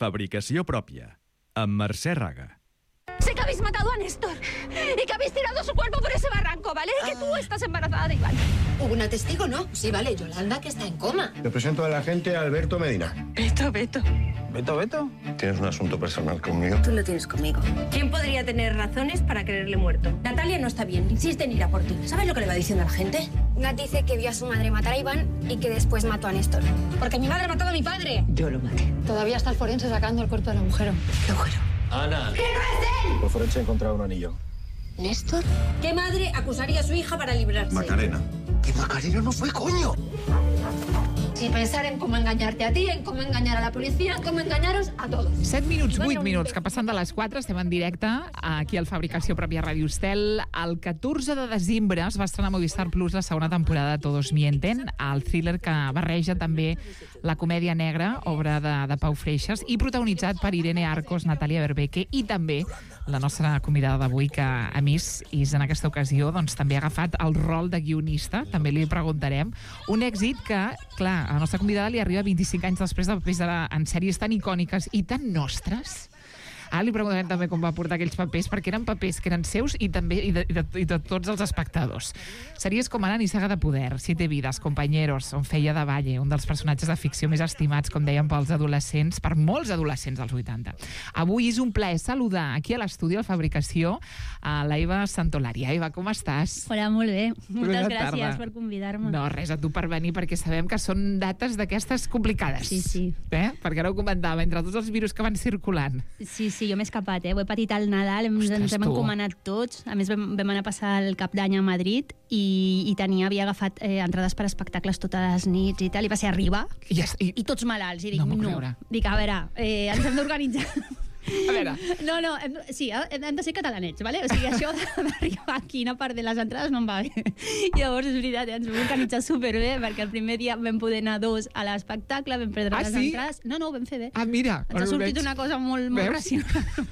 Fabricació pròpia. Amb Mercè Raga. Sé que habéis matado a Néstor y que habéis tirado su cuerpo por ese barranco, ¿vale? Que tú estás embarazada de Iván. ¿Hubo una testigo, no? Sí, vale, Yolanda, que está en coma. Te presento al agente Alberto Medina. Beto. ¿Beto? ¿Tienes un asunto personal conmigo? Tú lo tienes conmigo. ¿Quién podría tener razones para creerle muerto? Natalia no está bien, insiste en ir a por ti. ¿Sabes lo que le va diciendo a la gente? Nat dice que vio a su madre matar a Iván y que después mató a Néstor. Porque mi madre ha matado a mi padre. Yo lo maté. Todavía está el forense sacando el cuerpo del agujero. ¿Qué agujero? Ana. ¡Que no es él! El forense ha encontrado un anillo. ¿Néstor? ¿Qué madre acusaría a su hija para librarse? Macarena. ¡Que Macarena no fue, coño! Y pensar en cómo engañarte a ti, en cómo engañar a la policía, en cómo engañaros a todos. 7 minuts, 8 minuts, que passen de les 4, estem en directe, aquí al Fabricació Pròpia Ràdio Estel. El 14 de desembre es va estrenar a Movistar Plus la segona temporada de Todos Mienten, el thriller que barreja també la comèdia negra, obra de Pau Freixas, i protagonitzat per Irene Arcos, Natàlia Berbeque i també la nostra convidada d'avui, que a més és en aquesta ocasió doncs, també ha agafat el rol de guionista, també li preguntarem. Un èxit que, clar, a la nostra convidada li arriba 25 anys després de papers en sèries tan icòniques i tan nostres. Ara li preguntarem també com va portar aquells papers, perquè eren papers que eren seus i també de tots els espectadors. Sèries com Ara, Nissaga de poder, Siete vidas, Compañeros, on feia de Valle, un dels personatges de ficció més estimats, com dèiem, pels adolescents, per molts adolescents dels 80. Avui és un plaer saludar aquí a l'estudi de Fabricació a la Eva Santolària. Eva, com estàs? Hola, molt bé. Moltes tarda. gràcies per convidar-me. No, res, a tu per venir, perquè sabem que són dates d'aquestes complicades. Sí. Perquè ara ho comentava, entre tots els virus que van circulant. Sí, jo m'he escapat, ho he patit al Nadal, ens hem encomanat tots. A més, vam anar a passar el cap d'any a Madrid i havia agafat entrades per espectacles totes les nits i tal, i va ser arribar i tots malalts. I dic, dic, a veure, ens hem d'organitzar. A veure. No, sí, hem de ser catalanets, ¿vale? O sigui, això d'arribar aquí i no perdre les entrades no em va bé. Llavors, és veritat, ens vam organitzar superbé, perquè el primer dia vam poder anar 2 a l'espectacle, vam perdre les entrades. No, ho vam fer bé. Ah, mira. Ens ha sortit una cosa molt racional.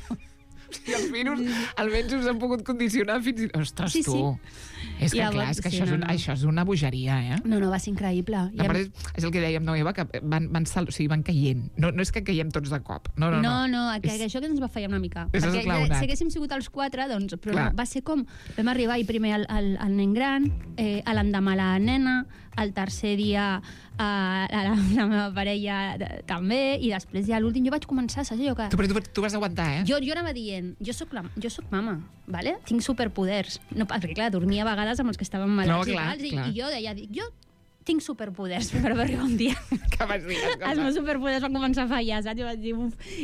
I els virus almenys us han pogut condicionar fins i tot. Ostres, tu. És que clar, és que això és una bogeria, eh? No, va ser increïble. És el que dèiem, no, Eva, que van caient. No és que caiem tots de cop. No, que això que ens va fallar una mica. Perquè si haguéssim sigut els 4, doncs, però va ser com, vam arribar i primer al nen gran, a l'endemà la nena, el tercer dia la meva parella també, i després ja l'últim jo vaig començar, saps allò que... Però tu vas aguantar, eh? Jo anava dient, jo soc mama, ¿vale? Tinc superpoders. No, perquè, clar, dormia a vegades amb els que estaven malalts i jo deia, jo tinc superpoders, però va arribar un dia que vas dir els meus superpoders van començar a fallar, saps? Jo vaig dir,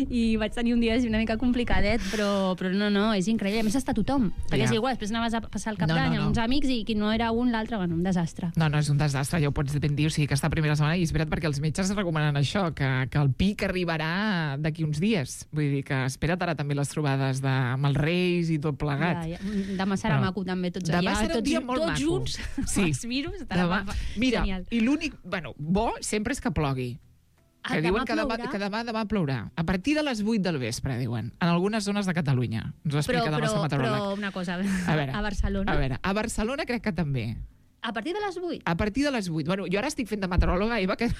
i vaig tenir un dia una mica complicadet, però no, és increïble. A més, està tothom, perquè és igual, després anaves a passar el cap d'any amb uns amics i qui no era un, l'altre, bueno, un desastre. No, és un desastre, ja ho pots ben dir, o sigui, aquesta primera setmana, i és veritat perquè els metges recomanen això, que el pic arribarà d'aquí uns dies. Vull dir que espera't ara també les trobades amb els Reis i tot plegat. Demà serà maco també, tots allà, tots junts, els virus. Mira, i l'únic, bo sempre és que plogui. Que diuen que demà plourà. A partir de les 8 del vespre, diuen. En algunes zones de Catalunya. Ens ho explica el nostre meteoròleg. Però una cosa, a Barcelona. A Barcelona crec que també. A partir de les 8? A partir de les 8. Bueno, jo ara estic fent de meteoròloga, Eva, que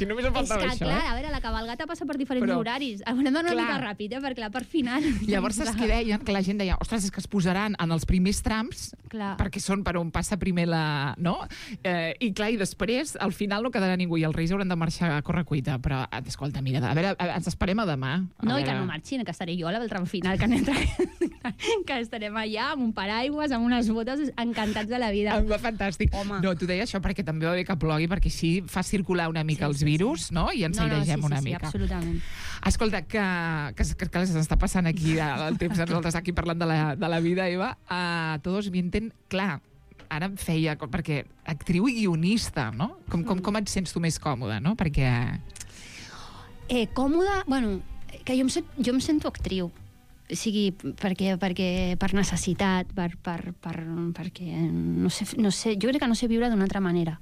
només em faltava això. És que, clar, a veure, la cabalgata passa per diferents horaris. Hem d'anar una mica ràpid, perquè clar, per final... Llavors és que deien, que la gent deia, ostres, és que es posaran en els primers trams, perquè són per on passa primer la... No? I clar, i després, al final no quedarà ningú, i els Reis hauran de marxar a correcuita. Però, escolta, mira, a veure, ens esperem a demà. No, i que no marxin, que estaré jo a la del tram final, que estarem allà amb un paraigües, amb unes botes, encantats de la vida. Em va fantàstic. Home. No, t'ho deia això perquè també va bé que plogui, perquè així fa circular una mica els virus, no? I ens airegem una mica. Sí, absolutament. Escolta, que s'està passant aquí el temps, nosaltres aquí parlant de la vida, Eva. Todos mienten, clar, ara em feia, perquè actriu i guionista, no? Com et sents tu més còmoda, no? Perquè... Còmoda? Bueno, que jo em sento actriu. O sigui, perquè per necessitat, perquè no sé, jo crec que no sé viure d'una altra manera,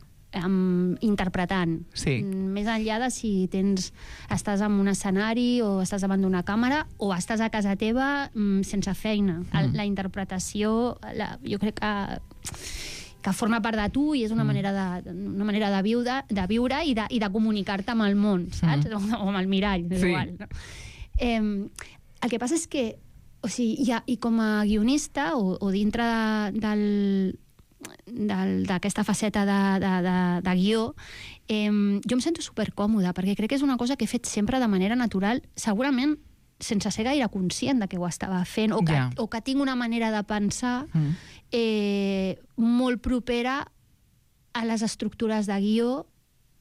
interpretant. Sí. Més enllà de si estàs en un escenari o estàs davant d'una càmera o estàs a casa teva sense feina. La interpretació, jo crec que forma part de tu i és una manera de viure i de comunicar-te amb el món, saps? O amb el mirall, és igual. No? El que passa és que, o sigui, i com a guionista o dintre d'aquesta faceta de guió, jo em sento supercòmoda, perquè crec que és una cosa que he fet sempre de manera natural, segurament sense ser gaire conscient de que ho estava fent, o que tinc una manera de pensar molt propera a les estructures de guió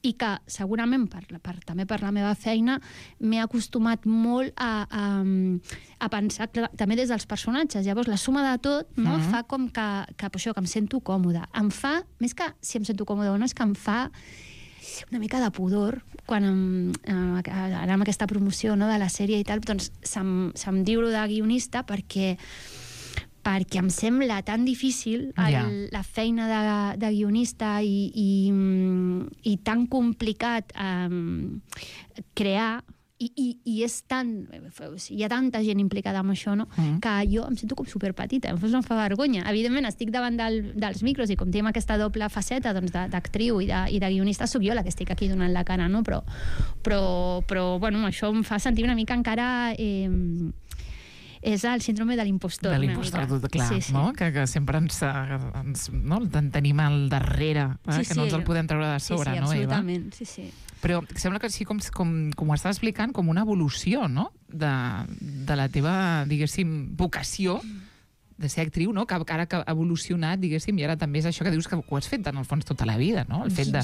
i que segurament també per la meva feina m'he acostumat molt a pensar també des dels personatges. Llavors la suma de tot fa com que em sento còmoda. Em fa, més que si em sento còmoda o no, és que em fa una mica de pudor quan ara amb aquesta promoció de la sèrie i tal, doncs se'm diu de guionista perquè em sembla tan difícil la feina de guionista i tan complicat crear i és hi ha tanta gent implicada amb això, no? Que jo em sento com superpetita, em fa vergonya. Evidentment estic davant dels micros i com tenim aquesta doble faceta d'actriu i de guionista, sóc jo la que estic aquí donant la cara, no? Però bueno, això em fa sentir una mica encara és el síndrome de l'impostor. De l'impostor, clar, no? Que sempre ens tenim al darrere, que no ens el podem treure de sobre, no, Eva? Absolutament, sí. Però sembla que sí, com ho estàs explicant, com una evolució, no?, de la teva, diguéssim, vocació de ser actriu, no?, que ara que ha evolucionat, diguéssim, i ara també és això que dius que ho has fet en el fons tota la vida, no?, el fet de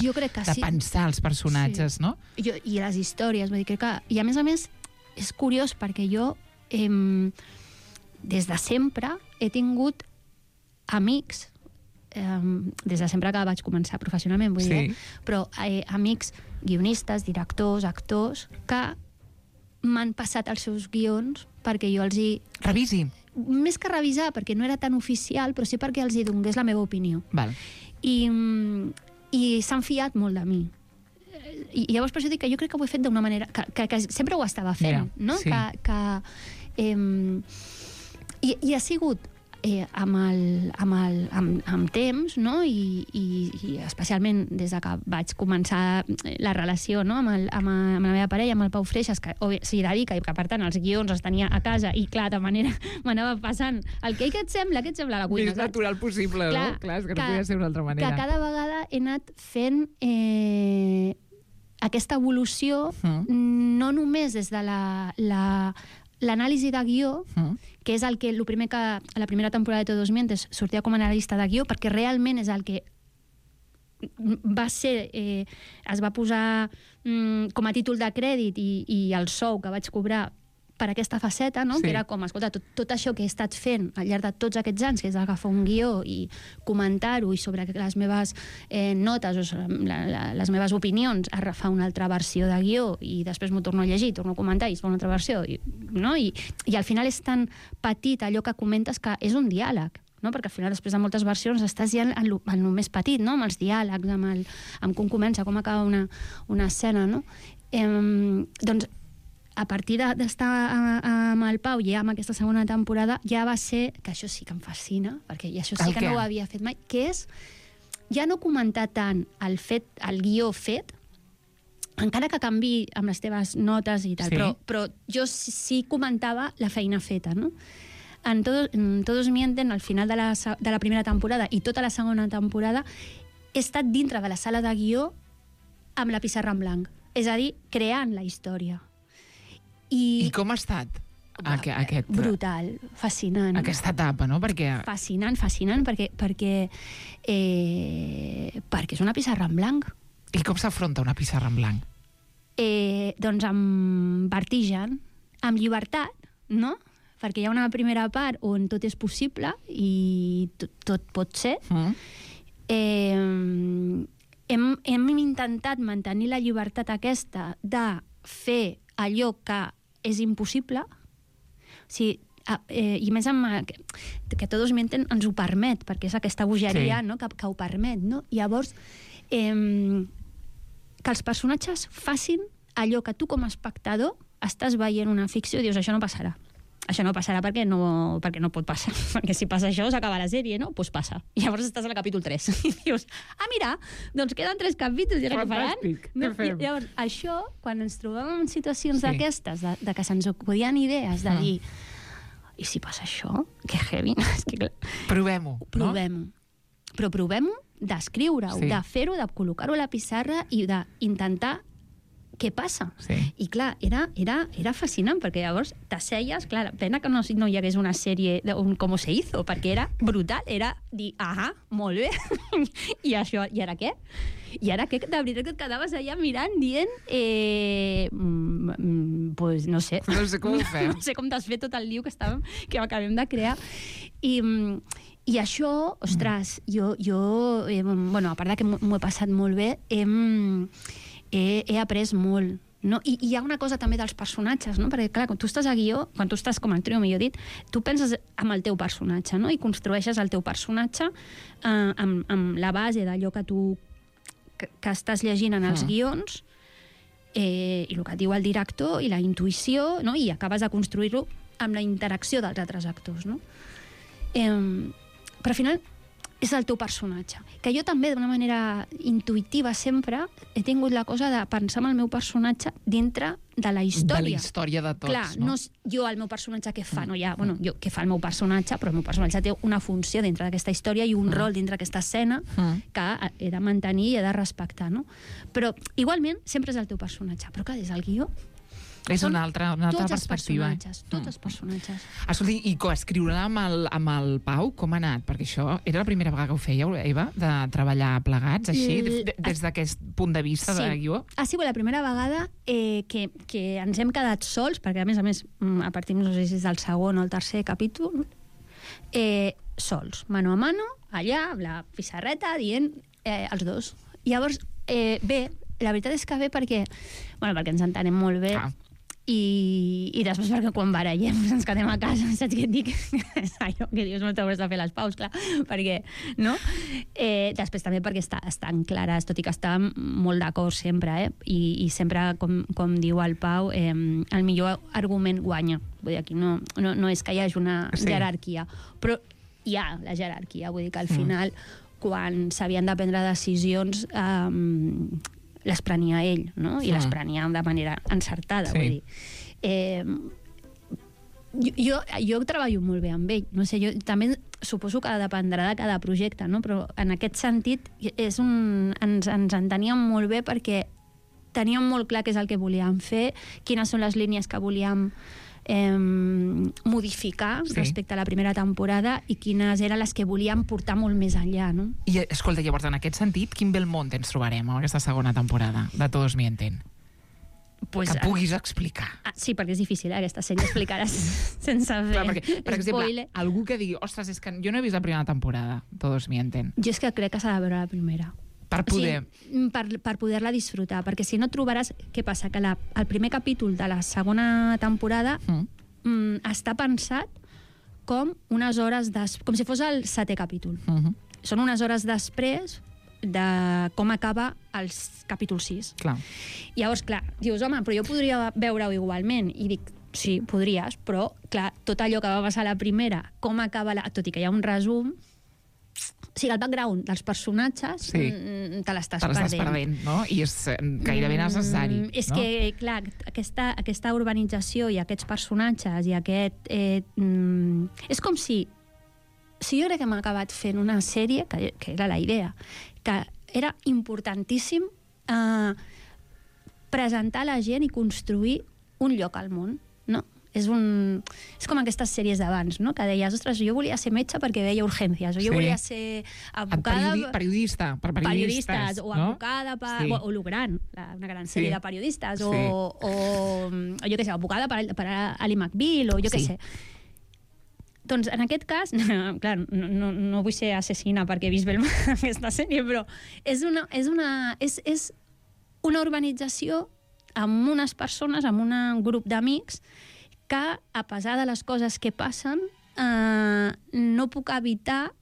pensar els personatges, no? I les històries, vull dir, crec que... I a més, és curiós perquè jo des de sempre he tingut amics, des de sempre que vaig començar professionalment, vull dir, però amics guionistes, directors, actors, que m'han passat els seus guions perquè jo els hi... Revisi. Més que revisar, perquè no era tan oficial, però sí perquè els hi donés la meva opinió. Val. I s'han fiat molt de mi. I llavors per això dic que jo crec que ho he fet d'una manera que sempre ho estava fent, no? Sí. I ha sigut amb temps, no? I especialment des de que vaig començar la relació, no? amb la meva parella, amb el Pau Freixas, que s'hi dedica i que per tant els guions els tenia a casa i clar, de manera m'anava passant què et sembla a la cuina? Més natural possible, no? Clar, és que no podia ser d'una altra manera. Que cada vegada he anat fent aquesta evolució no només des de l'anàlisi de guió, que és el primer que a la primera temporada de Todos Mientes sortia com a analista de guió, perquè realment és el que va ser, es va posar com a títol de crèdit i el sou que vaig cobrar per aquesta faceta, no? Que era com, escolta, tot això que he estat fent al llarg de tots aquests anys, que és agafar un guió i comentar-ho i sobre les meves notes o les meves opinions agafar una altra versió de guió i després m'ho torno a llegir, torno a comentar i es fa una altra versió, no? I al final és tan petit allò que comentes que és un diàleg, no? Perquè al final després de moltes versions estàs ja en el més petit, no? Amb els diàlegs, amb com comença, com acaba una escena, no? Doncs a partir d'estar amb el Pau i amb aquesta segona temporada ja va ser, que això sí que em fascina, perquè això sí que no ho havia fet mai, que és ja no comentar tant el guió fet, encara que canvi amb les teves notes i tal, però jo sí comentava la feina feta, no? En Todos Mienten, al final de la primera temporada i tota la segona temporada, he estat dintre de la sala de guió amb la pissarra en blanc, és a dir, creant la història. I com ha estat aquest... Brutal, fascinant. Aquesta etapa, no? Perquè... Fascinant, perquè és una pissarra en blanc. I com s'afronta una pissarra en blanc? Doncs amb vertigen, amb llibertat, no? Perquè hi ha una primera part on tot és possible i tot pot ser. Hem intentat mantenir la llibertat aquesta de fer allò que és impossible, i més que Todos Mienten ens ho permet, perquè és aquesta bogeria, no? Que ho permet, no? Llavors, que els personatges facin allò que tu com a espectador estàs veient una ficció i dius, això no passarà. això no passarà perquè no pot passar, perquè si passa això s'acaba la sèrie, no? Doncs passa. I llavors estàs al capítol 3 i dius, mira, doncs queden 3 capítols i què faran? No? Llavors, això, quan ens trobem en situacions d'aquestes, de que se'ns acudien idees, de dir, i si passa això? Que heavy. Provem-ho, no? Provem-ho. Però provem-ho d'escriure-ho, de fer-ho, de col·locar-ho a la pissarra i d'intentar què passa. I clar, era fascinant, perquè llavors t'asseies, clar, pena que no hi hagués una sèrie d'un Com se hizo, perquè era brutal, era dir, molt bé, i això, i ara què? I ara què? De veritat que et quedaves allà mirant, dient, pues no sé. No sé com ho fem. No sé com desfer tot el liu que acabem de crear. I això, ostres, jo bueno, a part que m'ho he passat molt bé, he après molt. No? I hi ha una cosa també dels personatges, no? Perquè clar, quan tu estàs a guió, quan tu estàs com a trio, millor dit, tu penses amb el teu personatge, no? I construeixes el teu personatge amb la base d'allò que tu que estàs llegint en els guions i el que et diu el director i la intuïció, no? I acabes de construir-ho amb la interacció dels altres actors, no? Però al final és el teu personatge. Que jo també, d'una manera intuïtiva sempre, he tingut la cosa de pensar en el meu personatge dintre de la història. De la història de tots, clar, no? Jo, el meu personatge, què fa? Què fa el meu personatge? Però el meu personatge té una funció dintre d'aquesta història i un rol dintre d'aquesta escena que he de mantenir i he de respectar, no? Però, igualment, sempre és el teu personatge. Però, clar, des del guió és una altra perspectiva. Tots els personatges. Escolti, i coescriure amb el Pau, com ha anat? Perquè això era la primera vegada que ho fèieu, Eva, de treballar plegats, així, des d'aquest punt de vista de guió? Ha sigut la primera vegada que ens hem quedat sols, perquè a més, a partir, no sé si és del segon o el tercer capítol, sols, mano a mano, allà, amb la pissarreta, dient els dos. Llavors, bé, la veritat és que bé perquè ens entenem molt bé, i després perquè quan barallem ens quedem a casa, saps què et dic? És allò que dius, no t'hauràs de fer les paus, clar, perquè, no? Després també perquè estan clares, tot i que estan molt d'acord sempre, i sempre, com diu el Pau, el millor argument guanya. Vull dir, aquí no és que hi hagi una jerarquia, però hi ha la jerarquia, vull dir que al final, quan s'havien de prendre decisions, les prenia ell, no? I les prenia de manera encertada, vull dir. Jo treballo molt bé amb ell, no sé, jo també suposo que dependrà de cada projecte, no? Però en aquest sentit ens enteníem molt bé perquè teníem molt clar què és el que volíem fer, quines són les línies que volíem modificar respecte a la primera temporada i quines eren les que volíem portar molt més enllà, no? I, escolta, llavors, en aquest sentit, quin Belmont ens trobarem en aquesta segona temporada de Todos Mienten? Pues, que puguis explicar. Sí, perquè és difícil, aquesta sèrie explicar-la sense fer perquè, per exemple, algú que digui, ostres, és que jo no he vist la primera temporada, Todos Mienten. Jo és que crec que s'ha de veure la primera. Per poder... per poder-la disfrutar, perquè si no trobaràs... Què passa? Que el primer capítol de la segona temporada està pensat com unes hores com si fos el 7è capítol. Són unes hores després de com acaba el capítol 6. Clar. Llavors, clar, dius, home, però jo podria veure-ho igualment. I dic, sí, podries, però, clar, tot allò que va passar a la primera, com acaba tot i que hi ha un resum... O sigui, el background dels personatges te l'estàs perdent, no? I és gairebé necessari. És que, clar, aquesta urbanització i aquests personatges i aquest... és com si jo crec que m'ha acabat fent una sèrie, que era la idea, que era importantíssim presentar a la gent i construir un lloc al món, no? És com aquestes sèries d'abans, no? Que deies, ostres, jo volia ser metge perquè veia urgències, o jo volia ser advocada... Periodista, per periodistes, o advocada o lo gran, una gran sèrie de periodistes, o jo què sé, advocada per Ali McBeal, o jo què sé. Doncs en aquest cas, clar, no vull ser assassina perquè he vist aquesta sèrie, però és una urbanització amb unes persones, amb un grup d'amics que, a pesar de les coses que passen, no puc evitar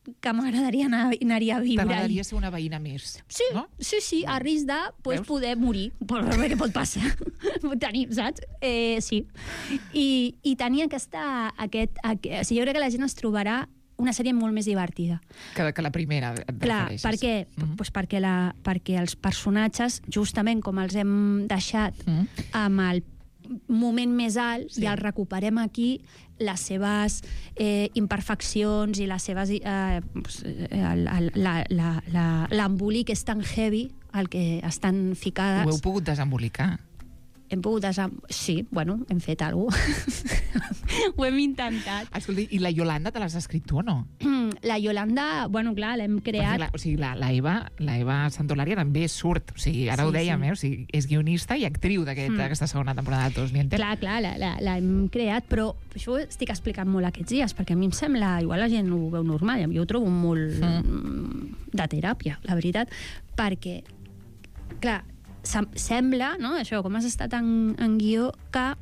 que m'agradaria anar-hi a viure. T'agradaria ser una veïna més, sí, no? Sí, a risc de poder morir, què pot passar? Tenir, saps? Sí. I tenir jo crec que la gent es trobarà una sèrie molt més divertida. Que la primera, et refereixes. Per què? Pues perquè els personatges, justament com els hem deixat amb el moment més alt, i els recuperem aquí, les seves imperfeccions i les seves... l'embolic és tan heavy el que estan ficades. Ho heu pogut desembolicar. Hem pogut sí, bueno, hem fet alguna cosa. Ho hem intentat. Escolta, i la Yolanda te l'has escrit tu o no? La Yolanda, bueno, clar, l'hem creat... La Eva Santolària també surt, o sigui, ara ho dèiem, o sigui, és guionista i actriu d'aquesta segona temporada de Todos Mienten. Clar, l'hem creat, però això ho estic explicant molt aquests dies, perquè a mi em sembla, igual la gent ho veu normal, jo ho trobo molt de teràpia, la veritat, perquè, clar, sembla, no?, això, com has estat en guió, que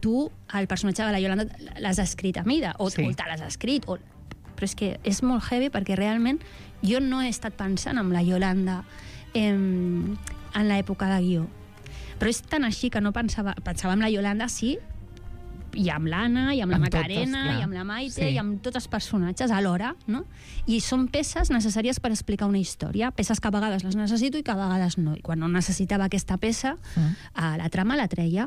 tu, el personatge de la Yolanda, l'has escrit a mida, o te l'has escrit, però és que és molt heavy perquè realment jo no he estat pensant en la Yolanda en l'època de guió. Però és tan així que no pensava en la Yolanda, sí, i amb l'Anna, i amb la Macarena, i amb la Maite, i amb tots els personatges alhora, no? I són peces necessàries per explicar una història, peces que a vegades les necessito i que a vegades no. I quan no necessitava aquesta peça, la trama la treia.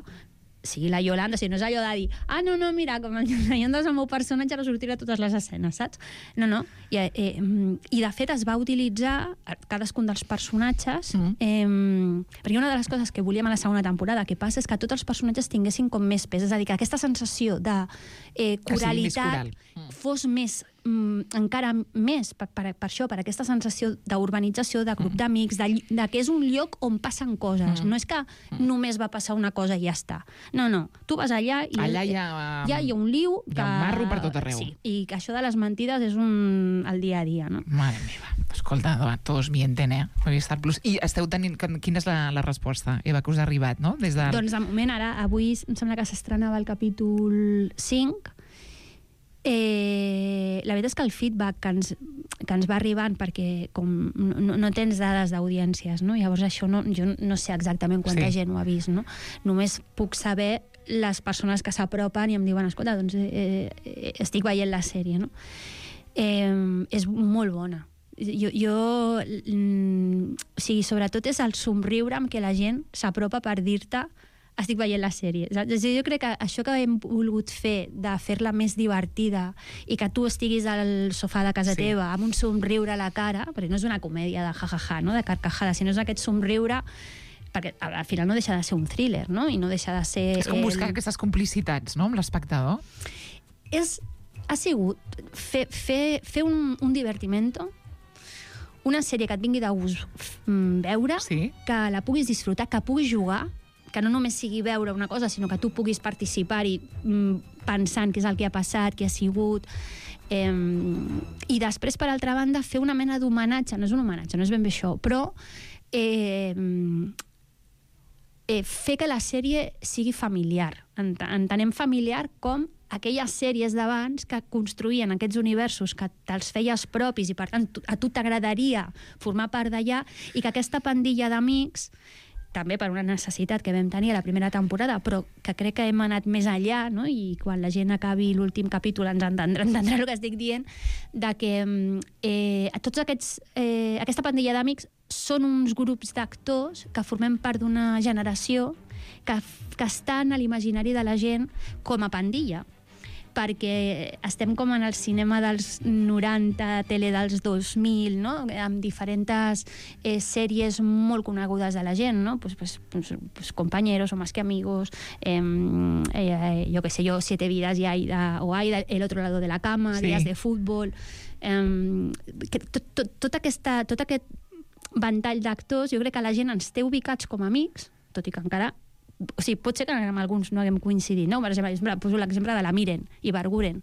Sí, la Yolanda, si no és allò de dir no, mira, com la Yolanda és el meu personatge, ara sortirà a totes les escenes, saps? No. I de fet es va utilitzar cadascun dels personatges, perquè una de les coses que volíem a la segona temporada que passa és que tots els personatges tinguessin com més pes, és a dir, que aquesta sensació de coralitat fos més, encara més per això, per aquesta sensació d'urbanització, de grup d'amics, de que és un lloc on passen coses. No és que només va passar una cosa i ja està. No. Tu vas allà i allà hi ha un liu hi ha un marro per tot arreu. Sí, i que això de les mentides és el dia a dia, no? Mare meva. Escolta, Todos Mienten, Movistar Plus. I esteu tenint... Quina és la resposta, Eva, que us ha arribat, no? Doncs de moment, avui em sembla que s'estrenava el capítol 5. La veritat és que el feedback que ens va arribant, perquè com no tens dades d'audiències, no? Llavors això jo no sé exactament quanta gent ho ha vist, no? Només puc saber les persones que s'apropen i em diuen, escolta, doncs estic veient la sèrie, no? És molt bona. O sigui, sobretot és el somriure amb què la gent s'apropa per dir-te estic veient la sèrie. Jo crec que això que hem volgut fer, de fer-la més divertida i que tu estiguis al sofà de casa teva amb un somriure a la cara, perquè no és una comèdia de jajaja, no?, de carcajada, sinó és aquest somriure, perquè al final no deixa de ser un thriller, no?, i no deixa de ser... És com buscar aquestes complicitats, no?, amb l'espectador. Ha sigut fer un divertimento, una sèrie que et vingui de gust veure, que la puguis disfrutar, que puguis jugar, que no només sigui veure una cosa, sinó que tu puguis participar-hi pensant què és el que ha passat, què ha sigut. I després, per altra banda, fer una mena d'homenatge, no és un homenatge, no és ben bé això, però fer que la sèrie sigui familiar. Entenem familiar com aquelles sèries d'abans que construïen aquests universos que te'ls feies propis i, per tant, a tu t'agradaria formar part d'allà, i que aquesta pandilla d'amics, també per una necessitat que vam tenir a la primera temporada, però que crec que hem anat més enllà, no? I quan la gent acabi l'últim capítol ens entendrà el que estic dient, de que tots aquesta pandilla d'amics són uns grups d'actors que formem part d'una generació que estan a l'imaginari de la gent com a pandilla, perquè estem com en el cinema dels 90, tele dels 2000, no?, amb diferents sèries molt conegudes de la gent, no? Pues Compañeros, o Más que Amigos, yo qué sé yo, Siete Vidas, o Aida, El otro lado de la cama, Días de fútbol... Tot aquest ventall d'actors, jo crec que la gent ens té ubicats com a amics, tot i que encara... O sigui, pot ser que amb alguns no haguem coincidit, no? Per exemple, poso l'exemple de la Miren i Barguren.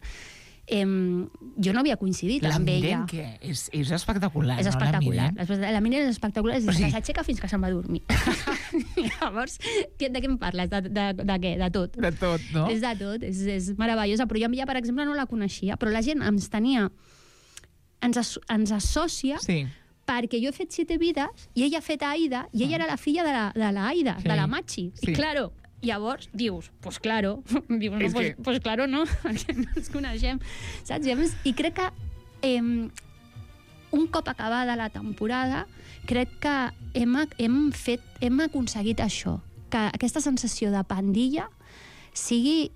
Jo no havia coincidit amb ella. La Miren, què? És espectacular, és espectacular. No? La Miren és espectacular, és que s'aixeca fins que se'n va a dormir. Llavors, de què em parles? De què? De tot. De tot, no? És de tot, és meravellosa. Però jo, per exemple, no la coneixia, però la gent ens tenia ens associa perquè jo he fet 7 vides i ella ha fet Aida i ella era la filla de la Aida, de la Machi. I claro, llavors dius, pues claro, pues claro no, perquè no ens coneixem, saps? I crec que un cop acabada la temporada, crec que hem aconseguit això, que aquesta sensació de pandilla sigui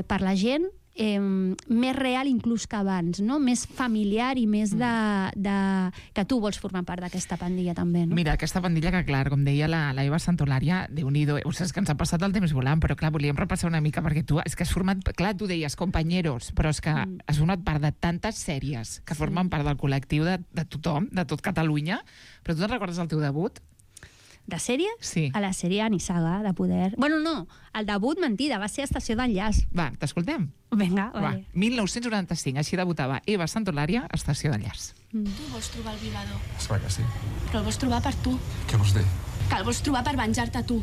per la gent més real inclús que abans, no? Més familiar i més que tu vols formar part d'aquesta pandilla també, no? Mira, aquesta pandilla que, clar, com deia la Eva Santolària, Déu-n'hi-do, és que ens ha passat el temps volant, però clar, volíem repassar una mica, perquè tu, és que has format, clar, tu deies companyeros, però és que has format part de tantes sèries que formen part del col·lectiu de tothom, de tot Catalunya, però tu te'n recordes el teu debut? De sèrie? Sí. A la sèrie Nissaga, de Poder. Bueno, no, el debut, mentida, va ser Estació d'Enllaç. Va, t'escoltem? Vinga, vale. 1995, així debutava Eva Santolària, Estació d'Enllaç. Tu vols trobar el violador. Esclar que sí. Però el vols trobar per tu. Què vols dir? Que el vols trobar per venjar-te tu.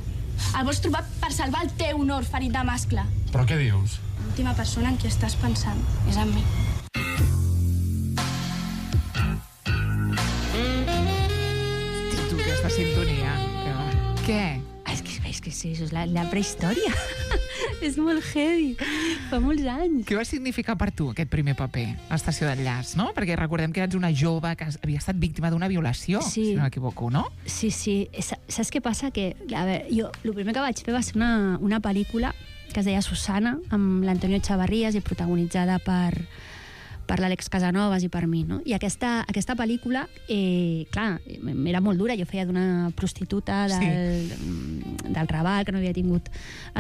El vols trobar per salvar el teu honor ferit de mascle. Però què dius? L'última persona en qui estàs pensant és en mi. Tu, aquesta sintonia. Què? És que sí, això és la prehistòria. És molt heavy. Fa molts anys. Què va significar per tu aquest primer paper, Estació d'Enllaç, no? Perquè recordem que ets una jove que havia estat víctima d'una violació, si no m'equivoco, no? Sí. Saps què passa? Que, a veure, jo el primer que vaig fer va ser una pel·lícula que es deia Susana, amb l'Antonio Chavarrías i protagonitzada per l'Àlex Casanovas i per mi, no? I aquesta pel·lícula, clar, era molt dura. Jo feia d'una prostituta del Raval, que no havia tingut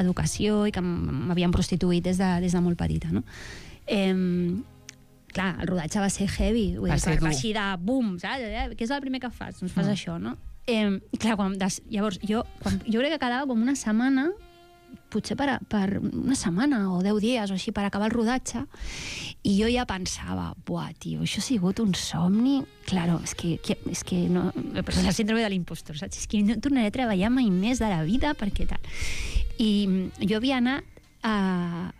educació i que m'havien prostituït des de molt petita, no? Clar, el rodatge va ser heavy. Va ser així de bum, saps? Què és el primer que fas? Doncs fas això, no? Clar, llavors, jo crec que quedava com una setmana, potser per una setmana o 10 dies o així per acabar el rodatge, i jo ja pensava, buah, tio, això ha sigut un somni. Claro, és que no... Però la síndrome de l'impostor, saps? És que no tornaré a treballar mai més de la vida, perquè tal. I jo havia anat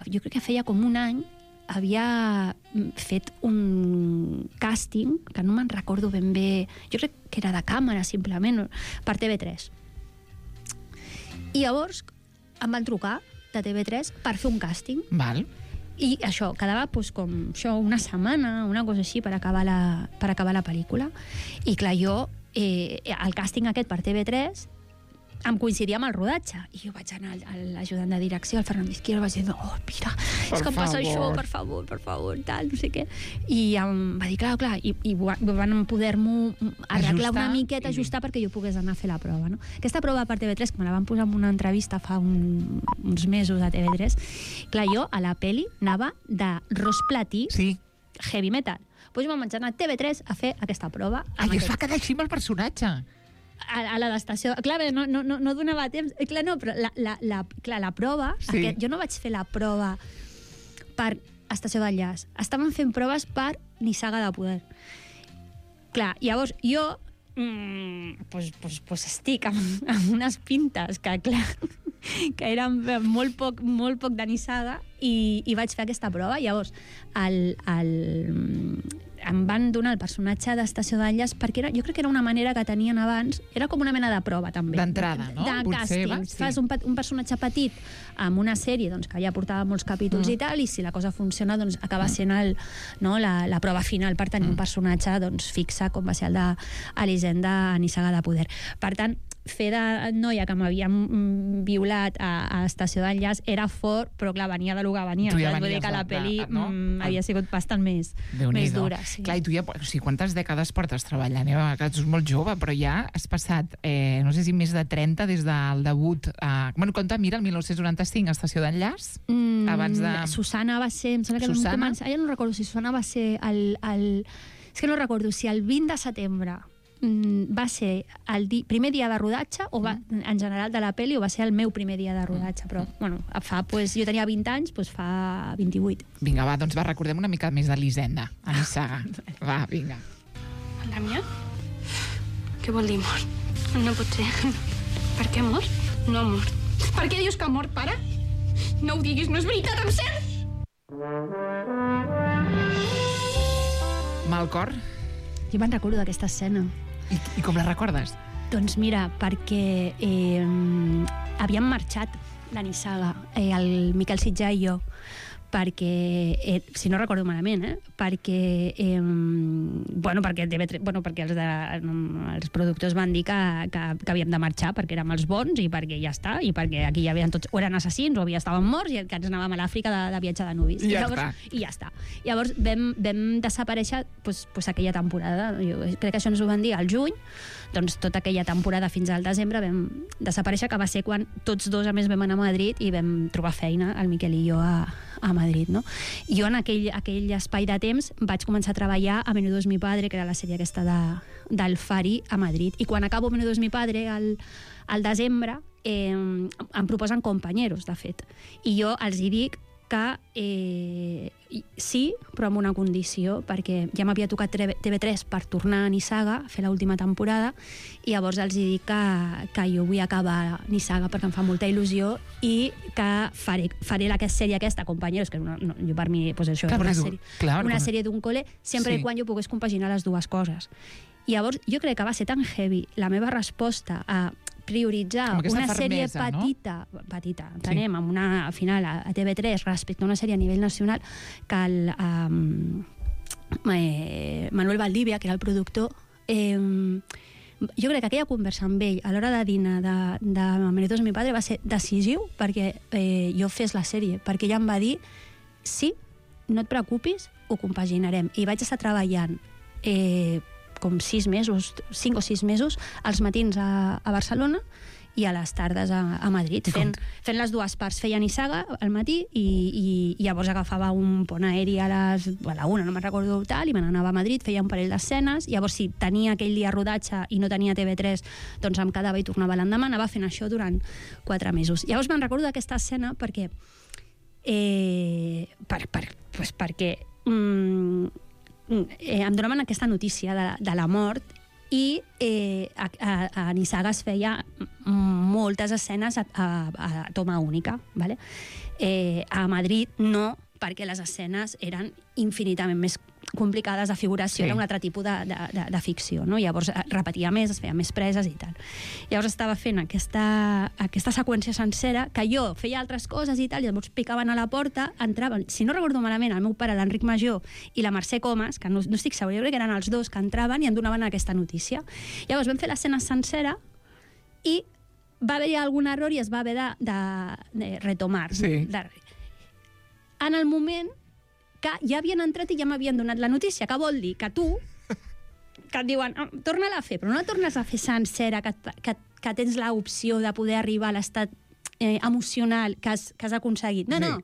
jo crec que feia com un any, havia fet un càsting, que no me'n recordo ben bé, jo crec que era de càmera, simplement, per TV3. I llavors em van trucar de TV3 per fer un càsting. Val. I això, quedava com això, una setmana, una cosa així, per acabar la pel·lícula. I clar, jo, el càsting aquest per TV3 em coincidia amb el rodatge. I jo vaig anar a l'ajudant de direcció, al Fernando Izquierdo, vaig dir, oh, mira, és que em passa això, per favor, tal, no sé què. I em va dir, clar, i van poder-m'ho arreglar una miqueta, ajustar perquè jo pogués anar a fer la prova, no? Aquesta prova per TV3, que me la van posar en una entrevista fa uns mesos a TV3, clar, jo a la peli anava de ros platí, heavy metal. Doncs jo vaig anar a TV3 a fer aquesta prova. I es va quedar així amb el personatge. A la d'estació... Clar, no donava temps. Clar, no, però la prova... Jo no vaig fer la prova per Estació d'Enllaç. Estaven fent proves per Nissaga de Poder. Clar, llavors jo pues estic amb unes pintes que, clar, que eren molt poc de Nissaga i vaig fer aquesta prova. Llavors, em van donar el personatge d'Estació d'Enllaç perquè jo crec que era una manera que tenien abans, era com una mena de prova també. D'entrada, no? De càsting. Fas un personatge petit amb una sèrie que ja portava molts capítols i tal, i si la cosa funciona, doncs acaba sent la prova final per tenir un personatge fixe, com va ser el d'Elisenda Nissaga de Poder. Per tant, fer de noia que m'havien violat a Estació d'Enllaç era fort, però clar, venia de lo que venia. Vull dir que la pel·li havia sigut bastant més dura. Clar, i tu ja, o sigui, quantes dècades portes treballant? Tu ets molt jove, però ja has passat, no sé si més de 30 des del debut. Bueno, compta, mira, el 1995, Estació d'Enllaç, abans de... Susana va ser... Em sembla que ja no recordo si Susana va ser és que no recordo si el 20 de setembre va ser el primer dia de rodatge o en general de la pel·li, o va ser el meu primer dia de rodatge, però bueno, jo tenia 20 anys, doncs fa 28. Vinga, va, doncs recordem una mica més d'Elisenda a Nissaga. Va, vinga. El Damià? Què vol dir mort? No pot ser. Per què mort? No ha mort. Per què dius que ha mort, pare? No ho diguis, no és veritat, em sents? Mal cor, Jo me'n recordo d'aquesta escena. I com la recordes? Doncs mira, perquè havíem marxat la Nissaga, el Miquel Sitjà i jo, perquè, si no recordo malament, perquè perquè els productors van dir que havíem de marxar perquè érem els bons i perquè ja està, i perquè aquí hi havia tots, o eren assassins o estaven morts i que ens anàvem a l'Àfrica de viatge de nuvis. I ja està. Llavors vam desaparèixer aquella temporada. Jo crec que això ens ho van dir al juny, doncs tota aquella temporada fins al desembre vam desaparèixer, que va ser quan tots dos a més vam anar a Madrid i vam trobar feina, el Miquel i jo, a Madrid, no? Jo en aquell espai de temps vaig començar a treballar a Menudo es mi padre, que era la sèrie aquesta del Fari, a Madrid. I quan acabo Menudo es mi padre al desembre, em proposen Compañeros, de fet. I jo els hi dic que sí, però amb una condició, perquè ja m'havia tocat TV3 per tornar a Nissaga, fer l'última temporada, i llavors els hi dic que jo vull acabar Nissaga perquè em fa molta il·lusió i que faré la sèrie aquesta, Compañeros, que jo per mi això és una sèrie d'un col·le, sempre i quan jo pogués compaginar les dues coses. I llavors jo crec que va ser tan heavy la meva resposta a prioritzar una sèrie petita, entenem, amb una final a TV3 respecte a una sèrie a nivell nacional, que Manuel Valdivia, que era el productor, jo crec que aquella conversa amb ell a l'hora de dinar de Menudo es mi padre va ser decisiu perquè jo fes la sèrie, perquè ella em va dir sí, no et preocupis, ho compaginarem. I vaig estar treballant com 5 o 6 mesos, als matins a Barcelona i a les tardes a Madrid, fent les dues parts. Feia Nissaga al matí i llavors agafava un pont aeri a la 1, no me'n recordo tal, i me n'anava a Madrid, feia un parell d'escenes, llavors si tenia aquell dia rodatge i no tenia TV3, doncs em quedava i tornava l'endemà, anava fent això durant 4 mesos. Llavors me'n recordo d'aquesta escena perquè em donaven aquesta notícia de la mort i a Nissaga es feia moltes escenes a toma única, ¿vale? A Madrid no, perquè les escenes eren infinitament més complicades de figuració, era un altre tipus de ficció, no? Llavors repetia més, es feia més preses i tal. Llavors estava fent aquesta seqüència sencera, que jo feia altres coses i tal, i llavors picaven a la porta, entraven, si no recordo malament, el meu pare, l'Enric Major, i la Mercè Comas, que no estic segura, jo crec que eren els dos que entraven i em donaven aquesta notícia. Llavors vam fer l'escena sencera i va haver-hi algun error i es va haver de retomar. Sí. En el moment que ja havien entrat i ja m'havien donat la notícia, que vol dir que tu, que et diuen, torna-la a fer, però no la tornes a fer sencera, que tens l'opció de poder arribar a l'estat emocional que has aconseguit. No,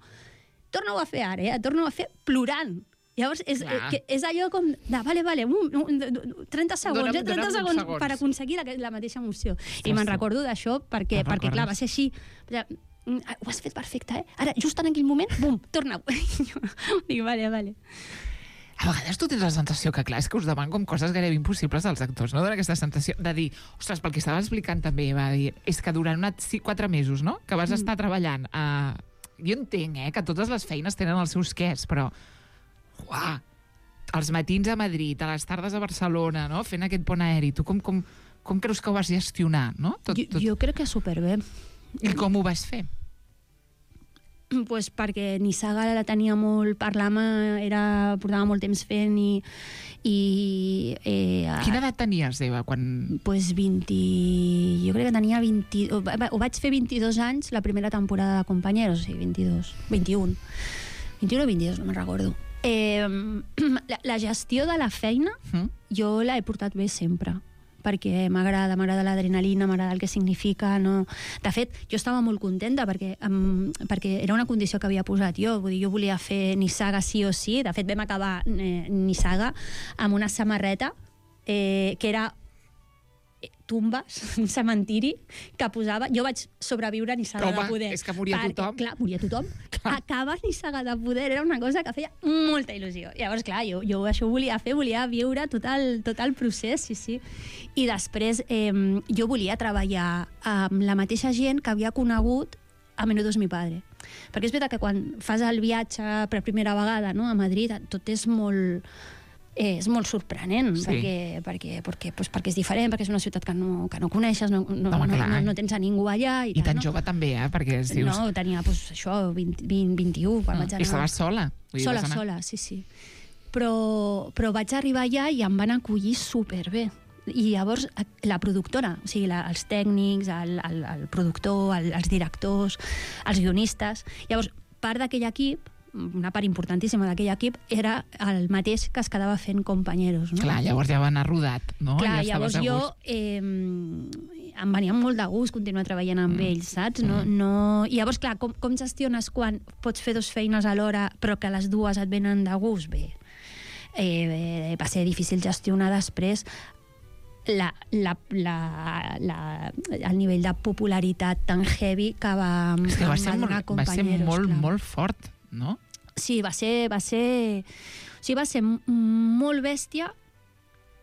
torna-ho a fer ara, torna-ho a fer plorant. Llavors, és allò com de, vale, 30 segons per aconseguir la mateixa emoció. I me'n recordo d'això perquè clar, va ser així. Ho has fet perfecte, Ara, just en aquell moment, bum, torna-ho. Dic, vale. A vegades tu tens la sensació que, clar, és que us demanen com coses gairebé impossibles als actors, no? Dona aquesta sensació de dir, ostres, pel que estava explicant també, va dir, és que durant 4 mesos, no?, que vas estar treballant jo entenc, que totes les feines tenen els seus quers, però els matins a Madrid, a les tardes a Barcelona, no?, fent aquest pont aeri, tu com creus que ho vas gestionar, no? Jo crec que superbé. I com ho vas fer? Pues perquè Nissaga la tenia molt per l'ama, portava molt temps fent i Quina edat tenies, Eva, quan... Pues 20... Jo crec que tenia 20... Ho vaig fer 22 anys la primera temporada de Compañeros, sí, 21 o 22, no me'n recordo. La gestió de la feina jo l'he portat bé sempre, perquè m'agrada l'adrenalina, m'agrada el que significa, no... De fet, jo estava molt contenta perquè era una condició que havia posat jo, vull dir, jo volia fer Nissaga sí o sí, de fet vam acabar Nissaga amb una samarreta que era tumbes, un cementiri que posava... Jo vaig sobreviure a Nissaga de Poder. És que moria tothom. Clar, moria tothom. Acabar Nissaga de Poder era una cosa que feia molta il·lusió. Llavors, clar, jo això ho volia fer, volia viure tot el procés, sí. I després jo volia treballar amb la mateixa gent que havia conegut a Menudo es mi padre. Perquè és veritat que quan fas el viatge per primera vegada, no, a Madrid, tot és molt... és molt sorprenent, perquè és diferent, perquè és una ciutat que no coneixes, no tens a ningú allà. I tan jove també, perquè dius... No, tenia això, 20, 21, quan vaig anar... I estaves sola? Sola, sí. Però vaig arribar allà i em van acollir superbé. I llavors la productora, o sigui, els tècnics, el productor, els directors, els guionistes... Llavors, part d'aquell equip, una part importantíssima d'aquell equip, era el mateix que es quedava fent Compañeros, no? Clar, llavors ja va anar rodat, no? Clar, llavors jo em venia molt de gust continuar treballant amb ells, saps? I llavors, clar, com gestiones quan pots fer 2 feines alhora però que les dues et venen de gust? Bé, va ser difícil gestionar després el nivell de popularitat tan heavy que va donar Compañeros. Va ser molt fort, no? Sí, va ser molt bèstia,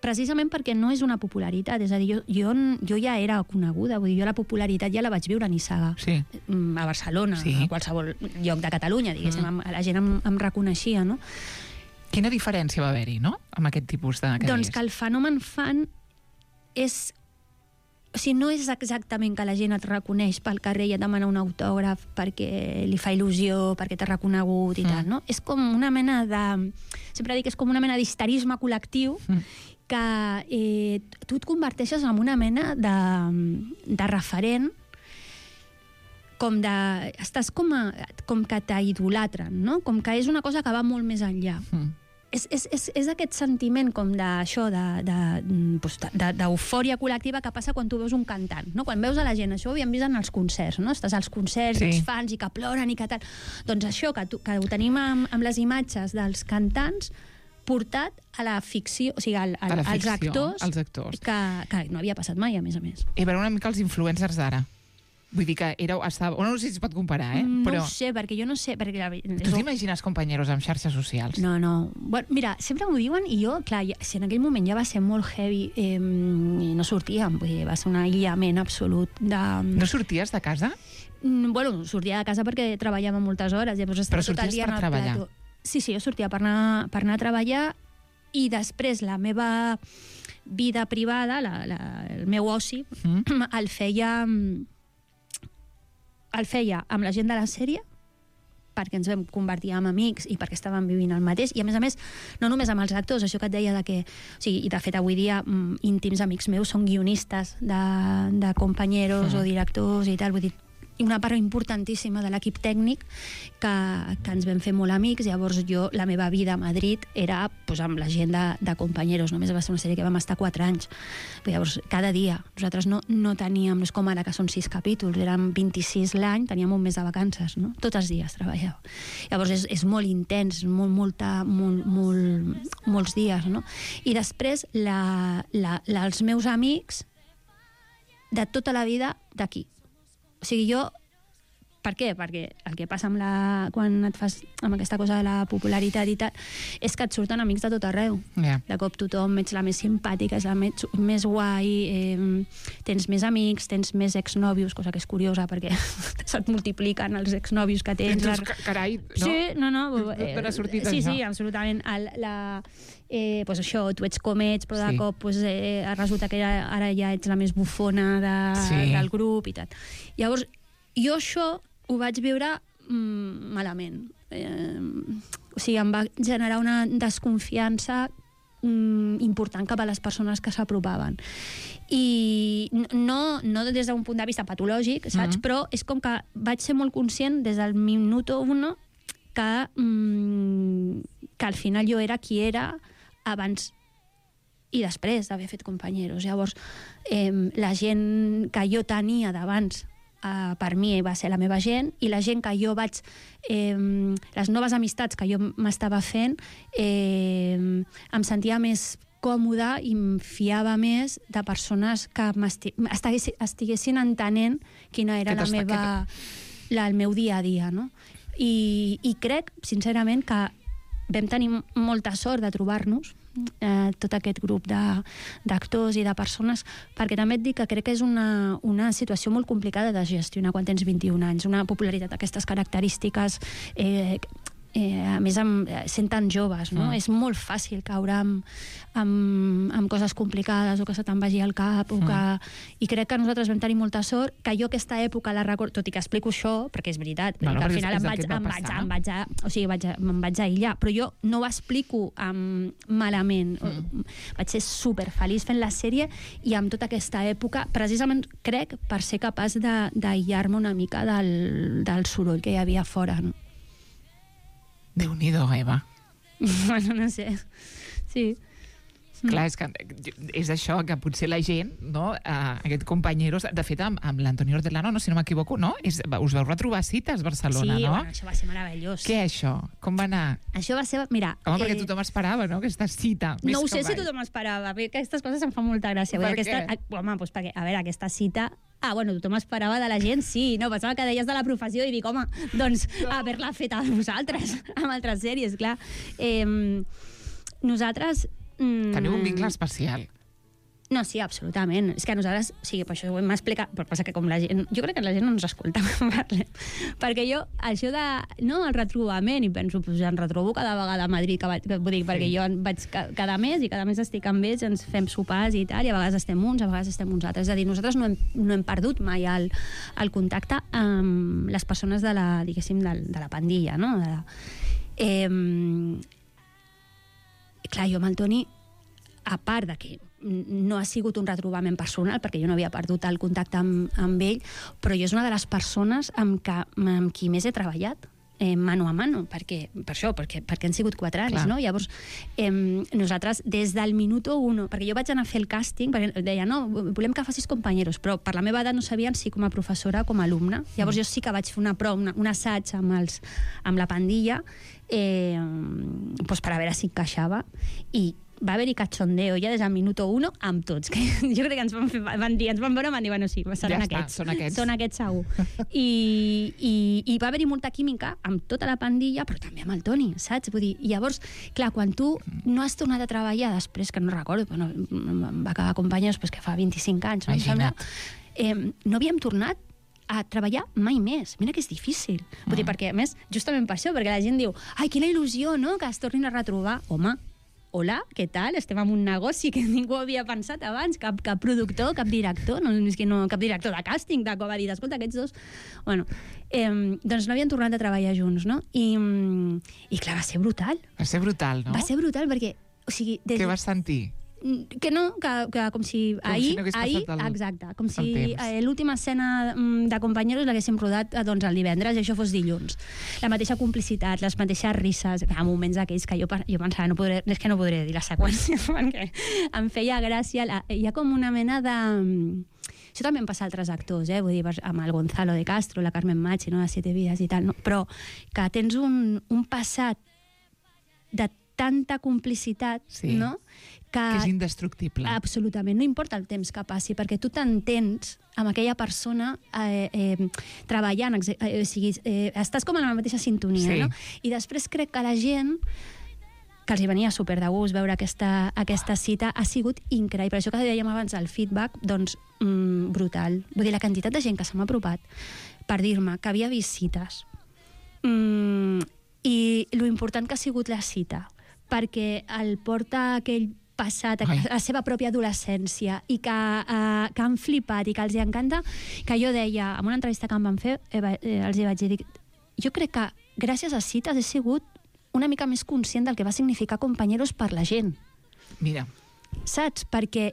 precisament perquè no és una popularitat. És a dir, jo ja era coneguda, vull dir, jo la popularitat ja la vaig viure a Nissaga, a Barcelona, a qualsevol lloc de Catalunya, diguéssim, la gent em reconeixia, no? Quina diferència va haver-hi, no?, amb aquest tipus de... Doncs que el fenomen fan és... O sigui, no és exactament que la gent et reconeix pel carrer i et demana un autògraf perquè li fa il·lusió, perquè t'ha reconegut i tal, no? És com una mena de... Sempre dic que és com una mena d'histerisme col·lectiu que tu et converteixes en una mena de referent, com de... Estàs com que t'idolatren, no? Com que és una cosa que va molt més enllà. És aquest sentiment com d'això, d'eufòria col·lectiva que passa quan tu veus un cantant, no? Quan veus a la gent, això ho havíem vist en els concerts, no? Estàs als concerts, els fans, i que ploren i que tal. Doncs això, que ho tenim amb les imatges dels cantants portat a la ficció, o sigui, als actors, que no havia passat mai, a més a més. I veure una mica els influencers d'ara. Vull dir que no sé si es pot comparar, però... No ho sé, perquè jo no sé... Tu t'imagines Compañeros amb xarxes socials? No. Bueno, mira, sempre m'ho diuen i jo, clar, si en aquell moment ja va ser molt heavy i no sortíem, vull dir, va ser un aïllament absolut de... No sorties de casa? Bueno, sortia de casa perquè treballava moltes hores. Però sorties per treballar? Sí, jo sortia per anar a treballar i després la meva vida privada, el meu oci, el feia amb la gent de la sèrie, perquè ens vam convertir en amics i perquè estàvem vivint el mateix, i a més, no només amb els actors, això que et deia de que... O sigui, i de fet avui dia íntims amics meus són guionistes de Compañeros o directors i tal, vull dir, i una part importantíssima de l'equip tècnic que ens vam fer molt amics. Llavors la meva vida a Madrid era amb la gent de Compañeros. Només va ser una sèrie que vam estar 4 anys. Llavors, cada dia. Nosaltres no teníem, no és com ara que són 6 capítols, eren 26 l'any, teníem un mes de vacances, no? Tots els dies treballava. Llavors és molt intens, molts dies, no? I després els meus amics de tota la vida d'aquí. O sigui, jo... Per què? Perquè el que passa quan et fas amb aquesta cosa de la popularitat i tal, és que et surten amics de tot arreu. De cop tothom ets la més simpàtica, ets la més guai, tens més amics, tens més exnòvios, cosa que és curiosa perquè se't multipliquen els exnòvios que tens. Carai, no? Sí, no. D'on ha sortit això? Sí, absolutament. Pues això, tu ets com ets, però de cop resulta que ara ja ets la més bufona del grup i tal. Llavors, jo això ho vaig viure malament. O sigui, em va generar una desconfiança important cap a les persones que s'apropaven. I no des d'un punt de vista patològic, saps? Però és com que vaig ser molt conscient des del minuto 1 que al final jo era qui era abans i després d'haver fet Compañeros. Llavors, la gent que jo tenia d'abans per mi va ser la meva gent, i la gent que jo vaig... les noves amistats que jo m'estava fent, em sentia més còmoda i em fiava més de persones que estiguessin entenent quina era el meu dia a dia, no? I crec, sincerament, que vam tenir molta sort de trobar-nos, tot aquest grup d'actors i de persones, perquè també et dic que crec que és una situació molt complicada de gestionar quan tens 21 anys, una popularitat d'aquestes característiques a més sent tan joves, no? És molt fàcil caure amb coses complicades o que se te'n vagi al cap i crec que nosaltres vam tenir molta sort, que jo aquesta època la recordo, tot i que explico això, perquè és veritat, que al final em vaig aïllar, però jo no ho explico malament, vaig ser superfeliç fent la sèrie i amb tota aquesta època, precisament crec per ser capaç d'aïllar-me una mica del soroll que hi havia fora, no? Déu-n'hi-do, Eva. Bueno, no sé. Sí. Clar, és això, que potser la gent, no? Aquest Compañeros, de fet, amb l'Antonio Hortelano, no, si no m'equivoco, no? Us vau retrobar cites a Barcelona, no? Sí, bueno, això va ser meravellós. Què, això? Com va anar? Això va ser, mira... Home, perquè tothom esperava, no?, aquesta cita. No ho sé si tothom esperava, perquè aquestes coses em fan molta gràcia. Per què? Home, doncs perquè, a veure, aquesta cita... bueno, tothom esperava de la gent, sí, no, pensava que deies de la professió i dic, home, doncs haver-la fet a vosaltres, amb altres sèries, clar. Nosaltres... Teniu un vincle especial. No, sí, absolutament. És que nosaltres, sí, per això ho hem explicat, però passa que com la gent... Jo crec que la gent no ens escolta quan parlem. Perquè jo, això de... No, el retrobament, i penso, pues, em retrobo cada vegada a Madrid, vull dir, perquè jo vaig cada mes, i cada mes estic amb ells, ens fem sopars i tal, i a vegades estem uns, a vegades estem uns altres. És a dir, nosaltres no hem perdut mai el contacte amb les persones de la, diguéssim, de la pandilla, no? Clar, jo amb el Toni, a part de que no ha sigut un retrobament personal, perquè jo no havia perdut el contacte amb ell, però jo és una de les persones amb qui més he treballat, mano a mano, perquè han sigut 4 anys, no? Llavors, nosaltres, des del minuto 1, perquè jo vaig anar a fer el càsting, perquè deia, no, volem que facis Compañeros, però per la meva edat no sabien si com a professora o com a alumna. Llavors jo sí que vaig fer una prova, un assaig amb la pandilla, per a veure si encaixava, i va haver-hi cachondeo ja des del minuto 1 amb tots, que jo crec que ens van veure i van dir, bueno, sí, seran aquests. Són aquests segur. I va haver-hi molta química amb tota la pandilla, però també amb el Toni, saps? Vull dir, llavors, clar, quan tu no has tornat a treballar després, que no recordo, però va acabar Compañeros que fa 25 anys, no em sembla, no havíem tornat a treballar mai més. Mira que és difícil. Vull dir, perquè, a més, justament per això, perquè la gent diu, ai, quina il·lusió, no?, que es tornin a retrobar. Home, hola, què tal? Estem en un negoci que ningú havia pensat abans, cap productor, cap director, cap director de càsting, de com va dir, escolta, aquests dos... Bueno, doncs no havien tornat a treballar junts, no? I clar, va ser brutal. Va ser brutal, no? Va ser brutal perquè... O sigui, què vas sentir? Que no, que com si ahir, exacte, com si l'última escena de Compañeros l'haguéssim rodat doncs el divendres i això fos dilluns. La mateixa complicitat, les mateixes risses, a moments aquells que jo pensava, és que no podré dir la seqüència, perquè em feia gràcia, hi ha com una mena de... Això també em passa a altres actors, vull dir, amb el Gonzalo de Castro, la Carmen Machi, no? De 7 vides i tal, no? Però que tens un passat de tanta complicitat, no? Que és indestructible. Absolutament, no importa el temps que passi, perquè tu t'entens amb aquella persona treballant, o sigui, estàs com en la mateixa sintonia, no? I després crec que la gent, que els hi venia super de gust veure aquesta cita, ha sigut increïble. Per això que dèiem abans, el feedback, doncs, brutal. Vull dir, la quantitat de gent que se m'ha apropat per dir-me que havia vist cites i lo important que ha sigut la cita, perquè el porta aquell passat, la seva pròpia adolescència, i que han flipat i que els hi encanta, que jo deia, en una entrevista que em van fer, els hi vaig dir, jo crec que gràcies a cites he sigut una mica més conscient del que va significar Compañeros per la gent. Mira. Saps? Perquè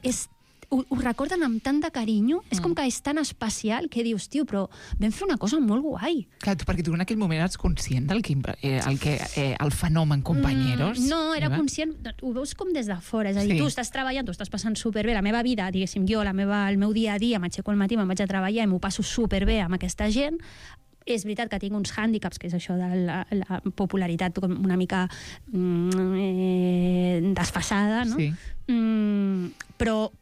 ho recorden amb tant de carinyo, és com que és tan especial que dius, tio, però vam fer una cosa molt guai. Clar, perquè tu en aquell moment eres conscient del el fenomen Compañeros? No, era conscient, ho veus com des de fora, és a dir, tu estàs treballant, tu estàs passant superbé, la meva vida, diguéssim, jo, el meu dia a dia, m'aixeco al matí, me'n vaig a treballar i m'ho passo superbé amb aquesta gent. És veritat que tinc uns hàndicaps, que és això de la popularitat una mica desfasada, no? Sí. Però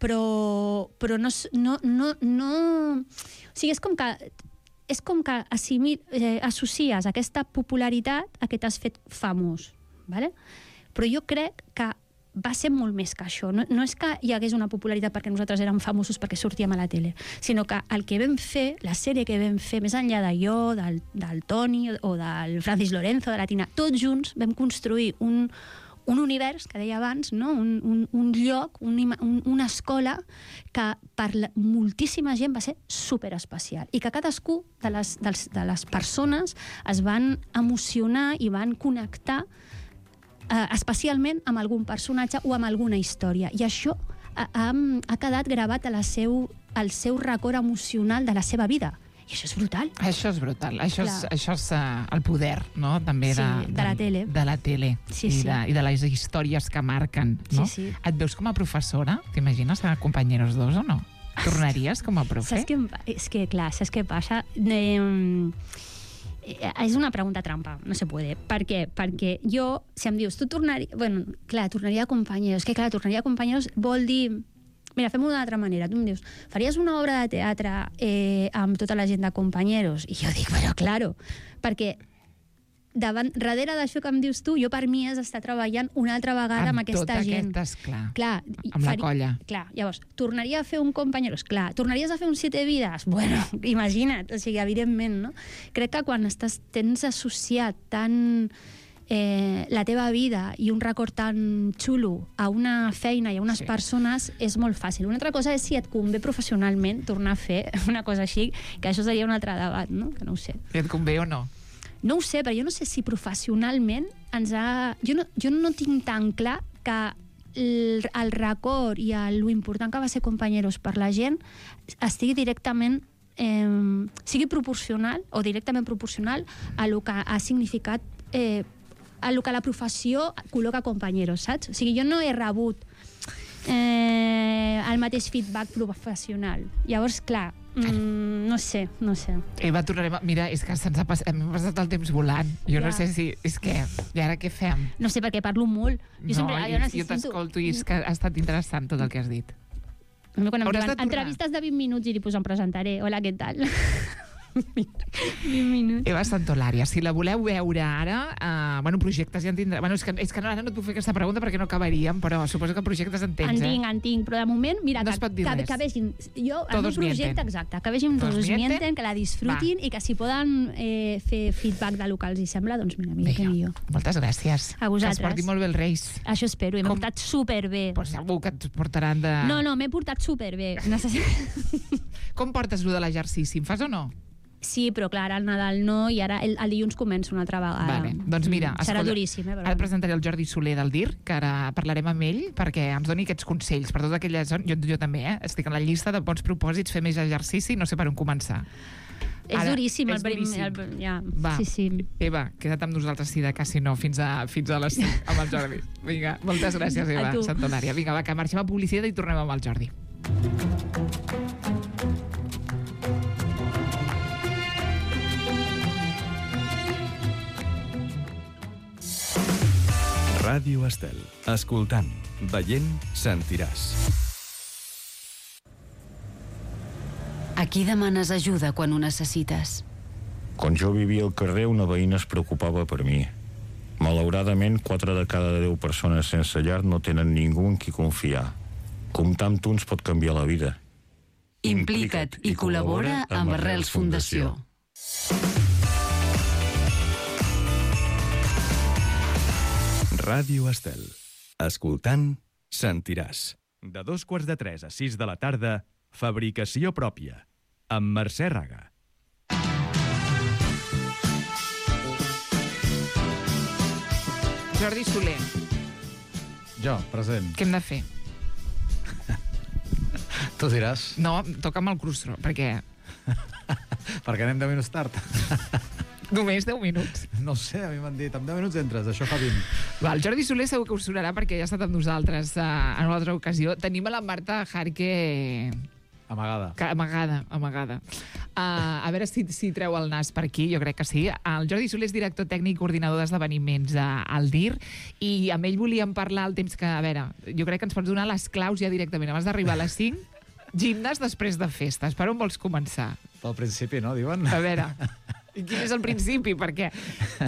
no... O sigui, és com que associes aquesta popularitat a que t'has fet famós, ¿vale? Però jo crec que va ser molt més que això. No és que hi hagués una popularitat perquè nosaltres érem famosos perquè sortíem a la tele, sinó que el que vam fer, la sèrie que vam fer, més enllà de jo, del Toni o del Francis Lorenzo, de la Tina, tots junts vam construir un univers, que deia abans, no? un lloc, una escola que per moltíssima gent va ser superespecial i que cadascú de les persones es van emocionar i van connectar especialment amb algun personatge o amb alguna història. I això ha quedat gravat al seu record emocional de la seva vida. I això és brutal. Això és brutal. Això és el poder, no? També de la tele. De la tele. Sí. I de les històries que marquen, no? Sí. Et veus com a professora? T'imagines a Compañeros 2 o no? Tornaries com a profe? Saps què passa? És una pregunta trampa, no se puede. Per què? Perquè jo, si em dius, tu tornaries... Bueno, clar, tornaria a Compañeros. Que clar, tornaria a Compañeros vol dir... Mira, fem-ho d'una altra manera. Tu em dius, faries una obra de teatre amb tota la gent de Compañeros? I jo dic, bueno, claro, perquè darrere d'això que em dius tu, jo per mi és estar treballant una altra vegada amb aquesta gent. Clar, amb la colla. Clar, llavors, tornaria a fer un Compañeros? Clar. Tornaries a fer un 7 vides? Bueno, imagina't, o sigui, evidentment, no? Crec que quan tens associat tant la teva vida i un record tan xulo a una feina i a unes persones és molt fàcil. Una altra cosa és si et convé professionalment tornar a fer una cosa així, que això seria un altre debat, no? Que no ho sé. I et convé o no? No ho sé, però jo no sé si professionalment Jo no tinc tan clar que el record i lo important que va ser Compañeros per la gent estigui directament sigui proporcional o directament proporcional a lo que ha significat a lo que la professió col·loca Compañeros, saps? O sigui, jo no he rebut el mateix feedback professional. Llavors, clar, no sé. Eva, tornarem a... Mira, és que hem passat el temps volant. Jo no sé si... És que... I ara què fem? No sé, perquè parlo molt. Jo t'escolto i és que ha estat interessant tot el que has dit. Quan em diuen entrevistes de 20 minuts i em presentaré. Hola, què tal? 20 minuts. Eva Santolària, si la voleu veure ara, projectes ja en tindrà... És que ara no et puc fer aquesta pregunta perquè no acabaríem, però suposo que projectes en tens, En tinc, però de moment, mira, no que vegin... Jo, el meu projecte, exacte, que vegin Todos Mienten, que la disfrutin i que si poden fer feedback de lo que els sembla, doncs mira que millor. Moltes gràcies. A vosaltres. Que es portin molt bé els Reis. Això espero, i m'he portat superbé. Però segur que et portaran de... No, m'he portat superbé. Com portes lo de l'exercici? En fas o no? Sí, però clar, al Nadal no, i ara el dilluns començo una altra vegada. Vale. Doncs mira, serà duríssim, ara presentaré el Jordi Soler del DIR, que ara parlarem amb ell perquè ens doni aquests consells per tota aquella zona. Jo també, estic en la llista de bons propòsits, fer més exercici, no sé per on començar. És duríssim. Va, sí. Eva, queda't amb nosaltres, si de cas, si no, fins a les 5 amb el Jordi. Vinga, moltes gràcies, Eva Santolària. Vinga, va, que marxem a publicitat i tornem amb el Jordi. Ràdio Estel. Escoltant, veient, sentiràs. A qui demanes ajuda quan ho necessites? Quan jo vivia al carrer, una veïna es preocupava per mi. Malauradament, 4 de cada 10 persones sense llar no tenen ningú en qui confiar. Comptar amb tu ens pot canviar la vida. Implica't i col·labora amb Arrels Fundació. Ràdio Estel. Escoltant, sentiràs. De 2:45 a 6 de la tarda, Fabricació pròpia, amb Mercè Raga. Jordi Soler. Jo, present. Què hem de fer? Tu diràs. No, toca'm el crustro, perquè... Perquè anem 10 minuts tard. Només 10 minuts. No sé, a mi m'han dit, amb 10 minuts entres, això fa 20. Va, el Jordi Soler segur que us sonarà perquè ja ha estat amb nosaltres en una altra ocasió. Tenim a la Marta Jarque... Amagada. A veure si treu el nas per aquí, jo crec que sí. El Jordi Soler és director tècnic i coordinador d'esdeveniments al DIR i amb ell volíem parlar el temps que... A veure, jo crec que ens pots donar les claus ja directament. Abans d'arribar a les 5, gimnàs després de festes. Per on vols començar? Pel principi, no, diuen? A veure... I quin és el principi? Perquè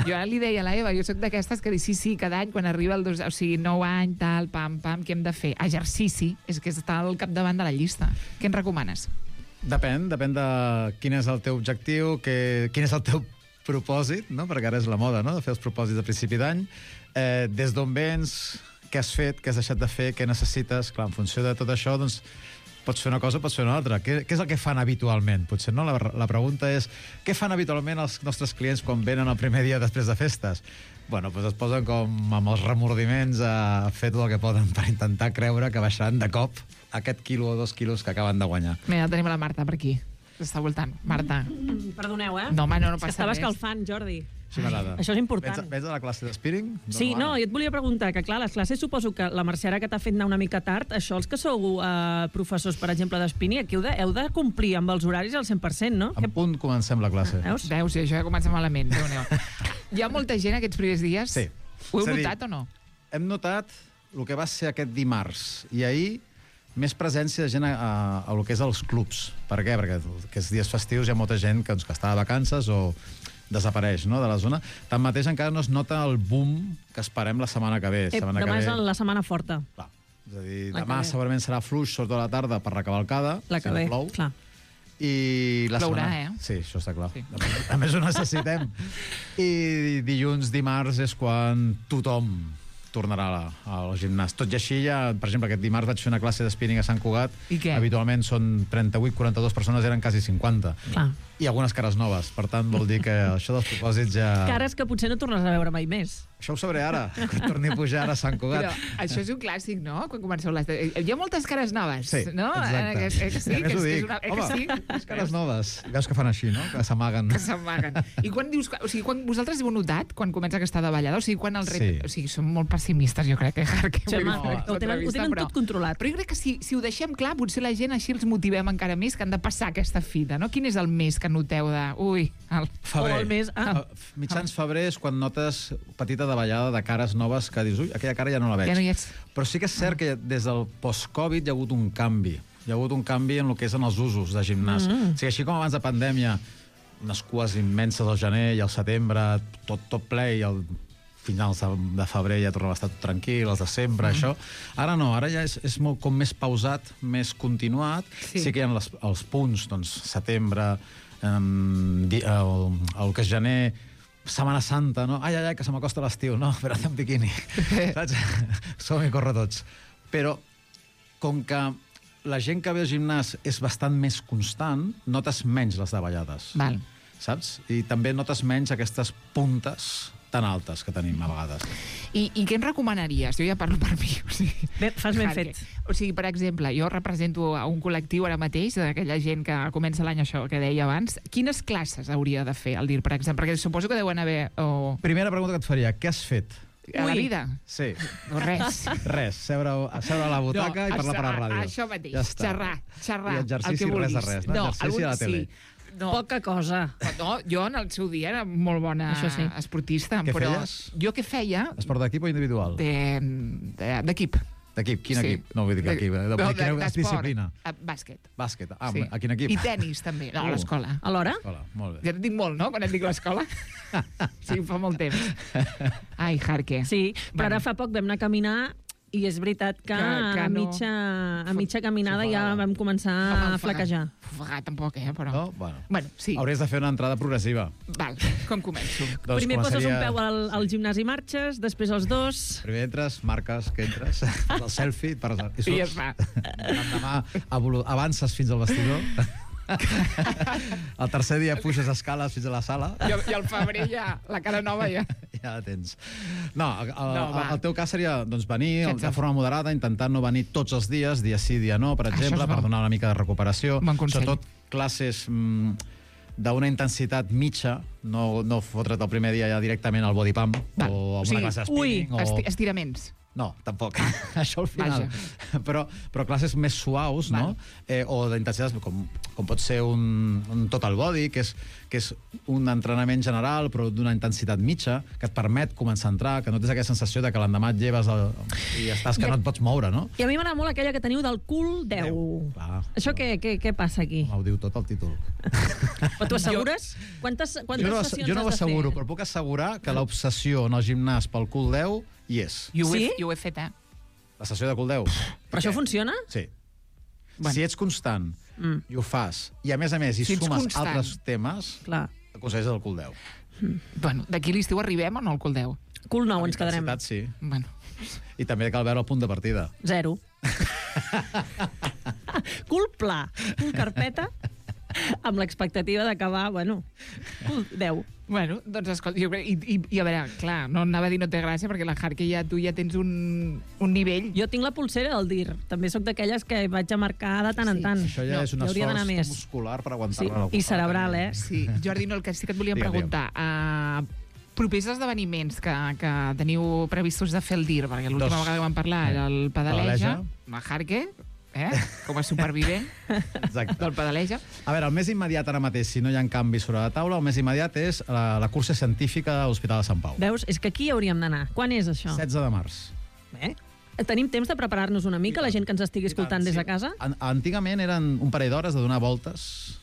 jo ara li deia a la Eva, jo sóc d'aquestes que dic sí, cada any, quan arriba el 9 any, tal, pam, què hem de fer? Exercici és que està al capdavant de la llista. Què ens recomanes? Depèn de quin és el teu objectiu, quin és el teu propòsit, no? Perquè ara és la moda, no?, de fer els propòsits a principi d'any. Des d'on vens, què has fet, què has deixat de fer, què necessites. Clar, en funció de tot això, doncs, pots fer una cosa, pots fer una altra. Què és el que fan habitualment? Potser no? La pregunta és, què fan habitualment els nostres clients quan venen el primer dia després de festes? Bueno, doncs es posen com amb els remordiments a fer tot el que poden per intentar creure que baixaran de cop aquest quilo o 2 quilos que acaben de guanyar. Mira, tenim la Marta per aquí. Està voltant. Marta. Perdoneu, No, home, no passa Estava res. escalfant, Jordi. Sí, m'agrada. Això és important. Vens de la classe de spinning? Sí, no, jo et volia preguntar, que clar, les classes suposo que la Mercè ara que t'ha fet anar una mica tard, això els que sou professors, per exemple, d'espinning, aquí heu de complir amb els horaris al 100%, no? En punt comencem la classe. Veus, sí, això ja comença malament. Hi ha molta gent aquests primers dies? Sí. Ho heu notat o no? Hem notat el que va ser aquest dimarts i ahir més presència de gent a lo que és els clubs. Per què? Perquè aquests dies festius hi ha molta gent que està de vacances o desapareix, no?, de la zona. Tanmateix encara no es nota el boom que esperem la setmana que ve. Demà és la setmana forta. Clar. És a dir, demà segurament serà fluix, sobretot a la tarda, per la cavalcada. La que ve, plou. clar. I la Plourà, setmana... Sí, això està clar. Sí. A més, ho necessitem. I dilluns, dimarts, és quan tothom tornarà al gimnàs. Tot i així, per exemple, aquest dimarts vaig fer una classe de spinning a Sant Cugat. I què? Habitualment són 38-42 persones, eren quasi 50. Clar. I algunes cares noves. Per tant, vol dir que això dels propòsits ja... Cares que potser no tornes a veure mai més. Això ho sabré ara, quan torni a pujar ara a Sant Cugat. Però això és un clàssic, no?, quan comenceu les... Hi ha moltes cares noves, sí, no? Exacte. Sí, que és una... Home, les cares noves. Veus que fan així, no?, que s'amaguen. Que s'amaguen. I quan dius... O sigui, quan vosaltres heu notat, quan comença aquesta davallada, o sigui, quan el repte... Sí. O sigui, som molt pessimistes, jo crec, que sí, ho tenen tot controlat. Però jo crec que si ho deixem clar, potser la gent així els motivem encara més que han de passar aquesta fita, no? Quin és el mes que noteu de... Febrer. O el mes... Mitjans febrer és quan notes petita davallada de cares noves que dius, ui, aquella cara ja no la veig. Ja no hi ets. Però sí que és cert que des del post-Covid hi ha hagut un canvi. Hi ha hagut un canvi en el que és en els usos de gimnàs. O sigui, així com abans de pandèmia, unes cues immenses al gener i al setembre, tot ple, i al finals de febrer ja tornava a estar tot tranquil, els de sempre, això. Ara no, ara ja és molt com més pausat, més continuat. Sí que hi ha els punts, doncs, setembre, el que és gener, Setmana Santa, no? Ai, que se m'acosta l'estiu, no? Però en biquini. Saps? Som-hi, corre tots. Però, com que la gent que ve al gimnàs és bastant més constant, notes menys les davallades. Val. Saps? I també notes menys aquestes puntes tan altes que tenim a vegades. I què em recomanaries? Jo ja parlo per mi. O sigui, fas ben fet. O sigui, per exemple, jo represento a un col·lectiu ara mateix, d'aquella gent que comença l'any, això que deia abans. Quines classes hauria de fer el DIR, per exemple? Perquè suposo que deuen haver... Primera pregunta que et faria, què has fet? A la vida? Sí. No, res. Res, seure a la butaca i parlar per la ràdio. Això mateix, ja xerrar. I exercici, res de res. No, exercici a la tele. No. Poca cosa. No, jo en el seu dia era molt bona esportista. Què però feies? Jo què feia? Esport d'equip o individual? D'equip. D'equip? Quin equip? No vull dir que equip. Quina disciplina? Bàsquet. Bàsquet. A quin equip? I tenis, també. No, a l'escola. A l'hora? Molt bé. Ja et dic molt, no?, quan et dic l'escola. Sí, fa molt temps. Ai, Jarque. Sí, però ara fa poc vam anar a caminar i és veritat que a mitja caminada ja vam començar a flaquejar. Ofegar tampoc, però... No? Bueno, sí. Hauries de fer una entrada progressiva. Val, com començo? Doncs primer poses un peu al gimnàs i marxes, després els dos... Primer entres, marques que entres, fas el selfie, i ja es fa. Demà avances fins al vestidor. El tercer dia puges escales fins a la sala. I al febrer ja, la cara nova ja. Ja la tens. No, el teu cas seria doncs, venir de forma moderada, intentant no venir tots els dies, dia sí, dia no, per exemple, per donar una mica de recuperació. Sobretot classes d'una intensitat mitja, no fotre't el primer dia ja directament al body pump o una classe de spinning. Estiraments. No, tampoc. Això al final. Però classes més suaus, no? O d'intensitats, com pot ser un total body, que és un entrenament general, però d'una intensitat mitja, que et permet començar a entrar, que no tens aquella sensació de que l'endemà et lleves i estàs que no et pots moure, no? I a mi m'agrada molt aquella que teniu del cul 10. Això què passa aquí? Ho diu tot el títol. Però tu assegures? Quantes sessions has de fer? Jo no ho asseguro, però puc assegurar que l'obsessió en el gimnàs pel cul 10 hi és. Sí? Jo ho he fet, La sessió de cul 10. Però això funciona? Sí. Si ets constant i ho fas, i a més hi sumes altres temes, aconsegueixes el cul 10. Bueno, d'aquí l'estiu arribem o no al cul 10? Cul 9 ens quedarem. Sí. Bueno. I també cal veure el punt de partida. 0. Cul pla, cul carpeta, amb l'expectativa d'acabar, cul 10. Bueno, doncs escolta, i a veure, clar, no anava a dir no té gràcia, perquè la Harky tu ja tens un nivell. Jo tinc la pulsera del DIR. També sóc d'aquelles que vaig a marcar de tant en tant. Això ja és un esforç muscular per aguantar-la. I cerebral, Sí, Jordi, el que sí que et volíem preguntar, propers esdeveniments que teniu previstos de fer el DIR, perquè l'última vegada que vam parlar era el Pedaleja, la Harky, com a supervivent del Pedaleja. A veure, el més immediat ara mateix, si no hi ha canvis sobre la taula, el més immediat és la cursa científica a l'Hospital de Sant Pau. Veus? És que aquí hauríem d'anar. Quan és això? 16 de març. Tenim temps de preparar-nos una mica, la gent que ens estigui escoltant des de casa? Antigament eren un parell d'hores de donar voltes.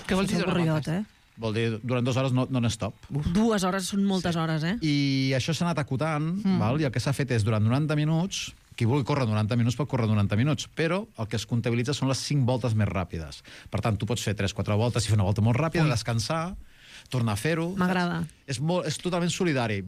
Què vols dir donar voltes? Vol dir, durant 2 hores non-stop. 2 hores són moltes hores, I això s'ha anat acotant, i el que s'ha fet és, durant 90 minuts, qui vulgui córrer 90 minuts pot córrer 90 minuts, però el que es comptabilitza són les 5 voltes més ràpides. Per tant, tu pots fer 3-4 voltes i fer una volta molt ràpida, descansar, tornar a fer-ho. M'agrada. És totalment solidari.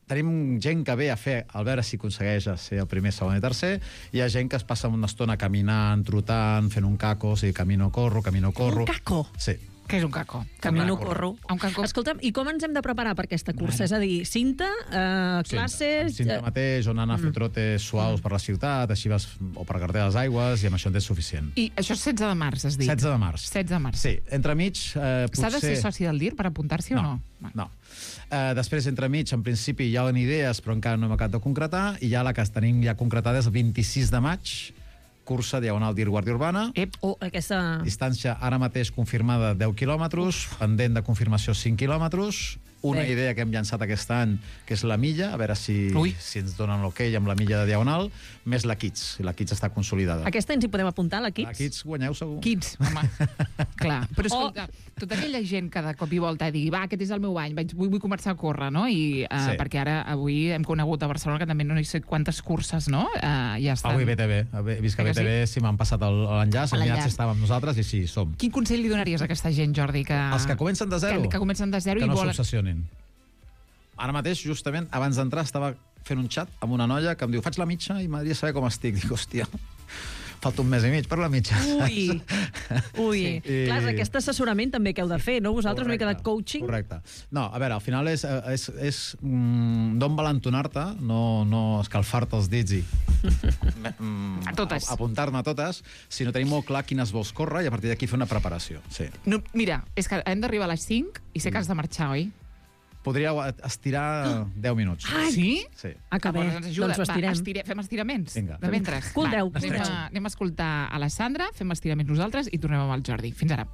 Tenim gent que ve a fer, al veure si aconsegueix ser el primer, segon i tercer. Hi ha gent que es passa una estona caminant, trotant, fent un caco, o sigui, camino-corro. Un caco? Sí. Què és un caco? Camino-corro. Un caco. Escolta'm, i com ens hem de preparar per aquesta cursa? És a dir, cinta, classes... Cinta mateix, on anar a fer trotes suaus per la ciutat, així vas, o per carreteres d'aigües, i amb això en tens suficient. I això és 16 de març, has dit? 16 de març. 16 de març. Sí, entremig... S'ha de ser soci del DIR per apuntar-s'hi o no? No. Després, entremig, en principi, hi ha idees, però encara no hem acabat de concretar, i ja la que tenim ja concretada és el 26 de maig, cursa diagonal DIR Guàrdia Urbana. Aquesta... Distància ara mateix confirmada 10 quilòmetres, pendent de confirmació 5 quilòmetres. Una idea que hem llançat aquest any, que és la milla, a veure si ens donen l'ok amb la milla de diagonal, més la Kids. La Kids està consolidada. Aquesta ens hi podem apuntar, la Kids? La Kids guanyeu segur. Kids, home. Clar. Però escolta, tota aquella gent que de cop i volta digui, va, aquest és el meu any, vull començar a córrer, no? Perquè ara, avui hem conegut a Barcelona que també no sé quantes curses, no? Ja estan. Avui BTV. He vist que BTV si m'han passat l'enllaç, hem mirat si estàvem amb nosaltres i sí, som. Quin consell li donaries a aquesta gent, Jordi? Els que comencen de zero. Que comencen de zero i volen... Que no s'obsessionin. Ara mateix, justament, abans d'entrar, estava fent un xat amb una noia que em diu, faig la mitja i m'agradaria saber com estic. Dic, hòstia, falta un mes i mig per la mitja. Ui. Clar, aquest assessorament també que heu de fer, no? Vosaltres una mica de coaching. Correcte. No, a veure, al final és d'on valentonar-te, no escalfar-te els dits i a totes. Apuntar-me a totes, sinó tenir molt clar quines vols córrer i a partir d'aquí fer una preparació. Sí. No, mira, és que hem d'arribar a les 5 i sé que has de marxar, oi? Podríeu estirar 10 minuts. Sí? Sí. Acabem. Doncs ho estirem. Fem estiraments. Vinga. De mentre. Cul 10. Anem a escoltar a la Sandra, fem estiraments nosaltres i tornem amb el Jordi. Fins ara.